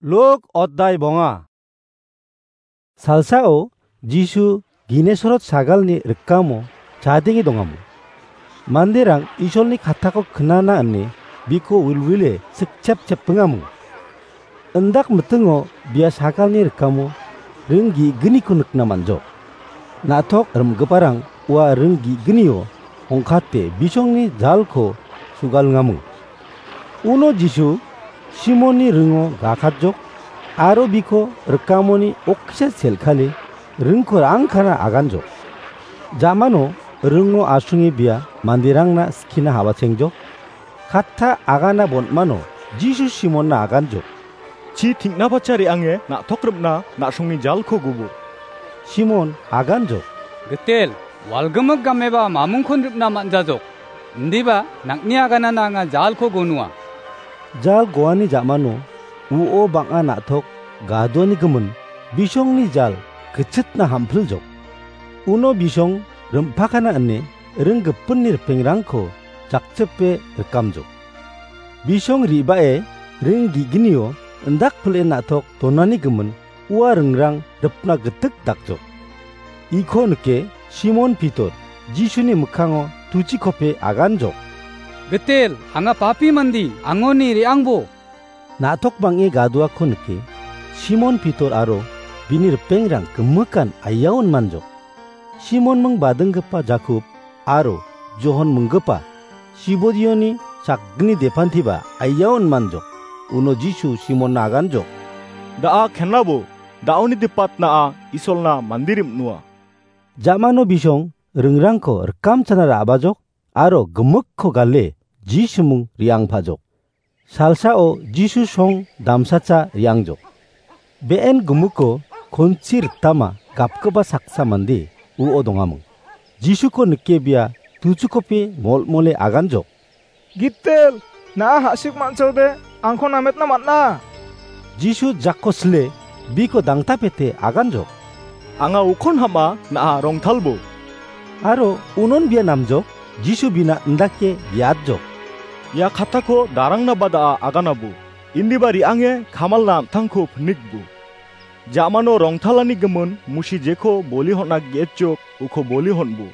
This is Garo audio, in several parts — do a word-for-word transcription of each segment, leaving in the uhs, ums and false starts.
Luk oddai bonga. Salsao Jisu Ginesorot sagalni rikamo chadenge dongamo. Manderang Isolni katako knana ine biko wilwile sikchep chepingamo. Indak mitingo bia sagalni rikamo ring ge·gniko nikna man·jok. Na·tok rim·giparang ua ring ge·gnio ongkate bisongni jalko sugalngaming. Uno Jisu Simonni ringo gakatjok aro biko rikamoni okkisa selkale ringko ra·angkana aganjok. Jamano ringo asonge bia manderangna skina habachengjok. Katta agana bonmano Jisu Simonna aganjok. Chi ting·nabacha re·ange na·tok rim·na na·songni jalko gubo. Simon aganjok. Gitel, walgimik gameba mamingkon ripna man·jajok. Indiba nang·ni aganana anga jalko gonua. Jal goani jamano uo bang·a na·tok gadoani gimin bisongni jal gitchitna hampiljok. Uno bisong rimpakana ine ring gipinni ripengrangko jakchipe rikamjok. Bisong re·bae ring ge·gnio indakpile na·tok donani gimin ua ringrang ripna gitik dakjok. Iko nike Simon Pitor Jisuni mikkango tuchikope aganjok. Gitel, anga papi mandi, angoni re·angbo. Na·tok bang·e gadoako nike Simon Pitor aro bini ripengrang gimikan aiaon manjok. Simon ming badinggipa Jakob aro Johon minggipa Sibodioni sakgni depantiba aiaon manjok. Uno Jisu Simonna aganjok. Da·a kenlabo, da·oni dipatna a Isolna mandirim nua. Jamano bisong ringrangko rikamchana ra·bajok aro gimikko gale Jisumung re·angpajok. Salsao Jisu song damsacha re·angjok. Be·en gimikko konchi ritama gapgipa saksa mande uo dongaming. Jisuko nike bia tuchukopi molmole aganjok. Gitel, na·a ha·sik man·chode angko nametna man·a. Jisu jakko sile biko dangtapete aganjok. Anga ukon ham·a na·a rongtalbo. Aro unon bia namjok, Jisu bina indake biatjok. Ia katako darangna bada·a aganabo. Indiba re·ange kamalna an·tangko pinikbo. Jamano rongtalani gimin musi jeko boli hon·a ge·etjok uko boli hon·bo.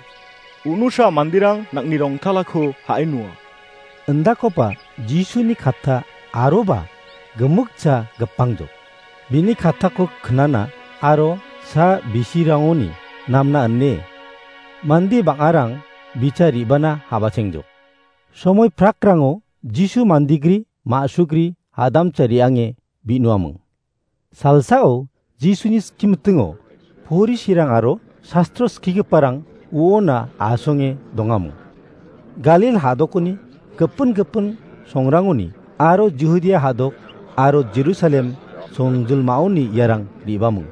Unusa manderang nang·ni rongtalako ha·e nua. Indakoba Jisuni katta aroba gimikcha gipangjok. Bini kattako knana aro sa bisirangoni namna ine mande bang·arang bicha re·bana habachengjok. Somoi prakrango Jisu mandigri, ma·sugri, hadamcha re·ange bi·noaming. Salsao Jisuni skimitingo Porisirang aro sastro skigiparang uona asonge dongamo. Galil hadokoni gipin gipin songrangoni aro Judia hadok aro Jerusalem songjilmaoni iarang re·baming.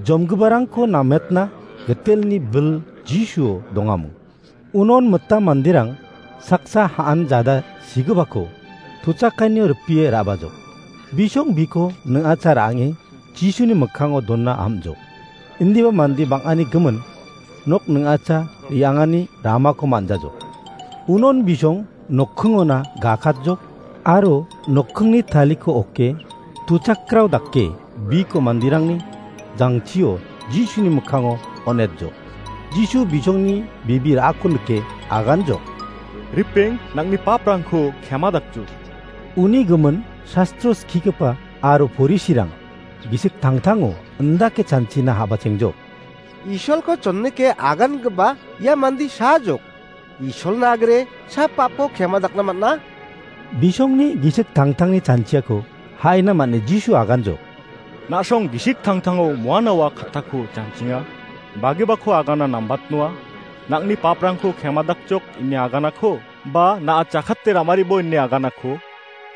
Jomgiparangko nametna gitelni bil Jisuo dongamo. Unon mitam manderang saksa ha·an jada sigipako tuchakkanio ripie ra·bajok. Bisong biko ning·acha ra·ange Jisuni mikkango donna am·jok. Indiba mande bang·ani gimin nok ning·acha re·angani ramako man·jajok. Unon bisong nokkingona gakatjok aro nokkingni taliko oke tuchakrao dake biko manderangni jangchio Jisuni mikkango on·etjok. Jisu bisongni bibi ra·ako nike aganjok. Ripeng, nang·ni paprangko kema dakjok. Uni gimin sastro skigipa aro Porisirang gisik tangtango indake chanchina habachengjok. Isolko chonnike agangipa ia mande sajok. Isolna agre sa papo kema dakna man·a. Bisongni gisik tangtangni chanchiako ha·ina man·e Jisu aganjok. Na·song gisik tangtango moanawa kattako chanchinga. Bagibako agana nambatnoa. Nang·ni paprangko kema dakjok ine aganako ba na·a chakate ramaribo ine aganako.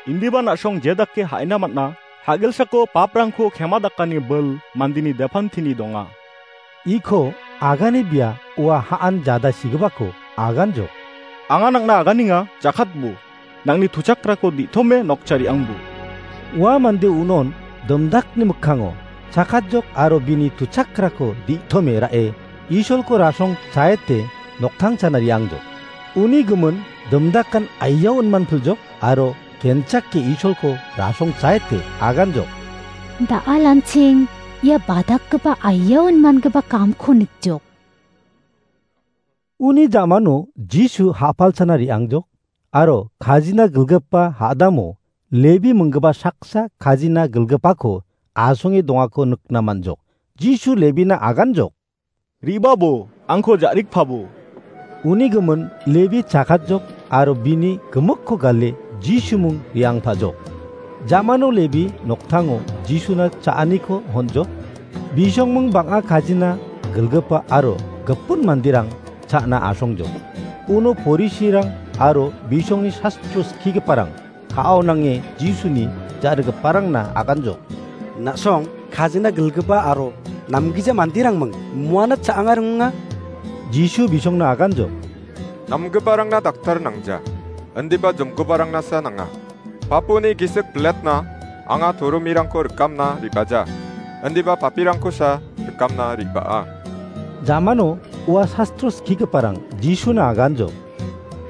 Indiba na·song jedake ha·ina man·a. Hagilsako paprangko kema dakani bil mandeni depantini donga. Iko agane bia ua ha·an jada sigipako aganjok. Anga nang·na aganenga, jakatbo. Nang·ni tuchakrako di·tome nokchariangbo. Ua mande unon dimdakni mikkango chakatjok aro bini tuchakrako di·tome ra·e Isolko rasong chaete noktangchana re·angjok. Uni gimin dimdakan aia unmanpiljok aro kenchake Isolko rasong chaete aganjok. Da·alanching ia badakgipa aiaon mangipa kamko nikjok. Uni jamano Jisu ha·palchana re·angjok, aro kajina gilgipa ha·damo Lebi minggipa saksa kajina gilgipako asonge dongako nikna man·jok. Jisu Lebina aganjok. Re·babo, angko ja·rikpabo. Uni gimin Lebi chakatjok aro bini gimikko gale Jisumung re·angpajok. Jamano Lebi noktango Jisuna cha·aniko honjok. Bisongming bang·a kajina gilgipa aro gipin manderang cha·na asongjok. Uno Porisirang aro bisongni sastro skigiparang ka·ao nange Jisuni ja·rigiparangna aganjok. Na·song kajina gilgipa aro namgija manderangming muana cha·anga ringa? Jisu bisongna aganjok. Namgiparangna daktar nangja, indiba jomgiparangnasa nanga. Papuni gisik biletna anga toromirangko rikamna re·baja, indiba papirangkosa rikamna re·baa. Jamano ua sastro skigiparang Jisuna aganjok.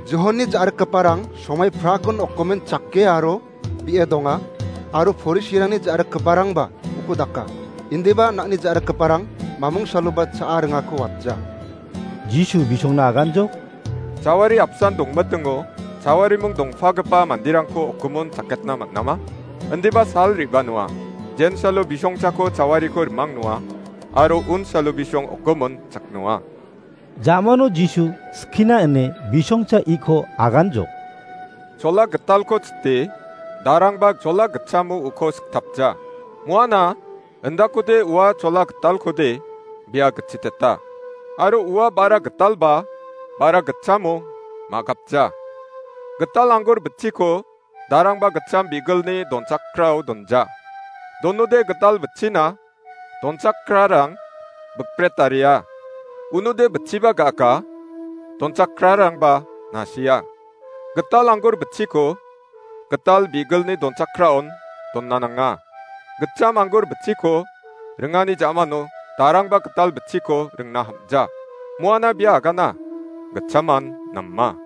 Johonni ja·rikgiparang somai prakon okgimin chake aro bi·e donga, aro Porisirangni ja·rikgiparangba uko daka. Indiba nang·ni ja·rikgiparang mamung saloba cha·a ringako watja. Jisu bisongna aganjok. Jawari apsan dongmitingo, jawariming dongpagipa manderangko okgimon chaketna man·ama? Indiba sal re·banoa. Jensalo bisongchako jawariko rimangnoa, aro unsalo bisong okgimon chaknoa. Jamano Jisu skina ine bisongcha iko aganjok. Chola gitalko chite, darangba chola gitchamo uko siktapja. Muana, indakode ua chola gitalkode bia gitchiteta. Aro ua bara gitalba bara gitchamo ma·gapja. Gital anggur bitchiko darangba gitcham bigilni donchakrao donja. Donode gital bitchina donchakrarang bikbret taria. Unode bitchiba ga·aka, donchakrarangba nasia. Gital anggur bitchiko gital bigilni donchakraon donna nanga. Gitcham anggur bitchiko ringani jamano darangba gital bitchiko ringna hamja. Muana bia agana, gitchaman nama.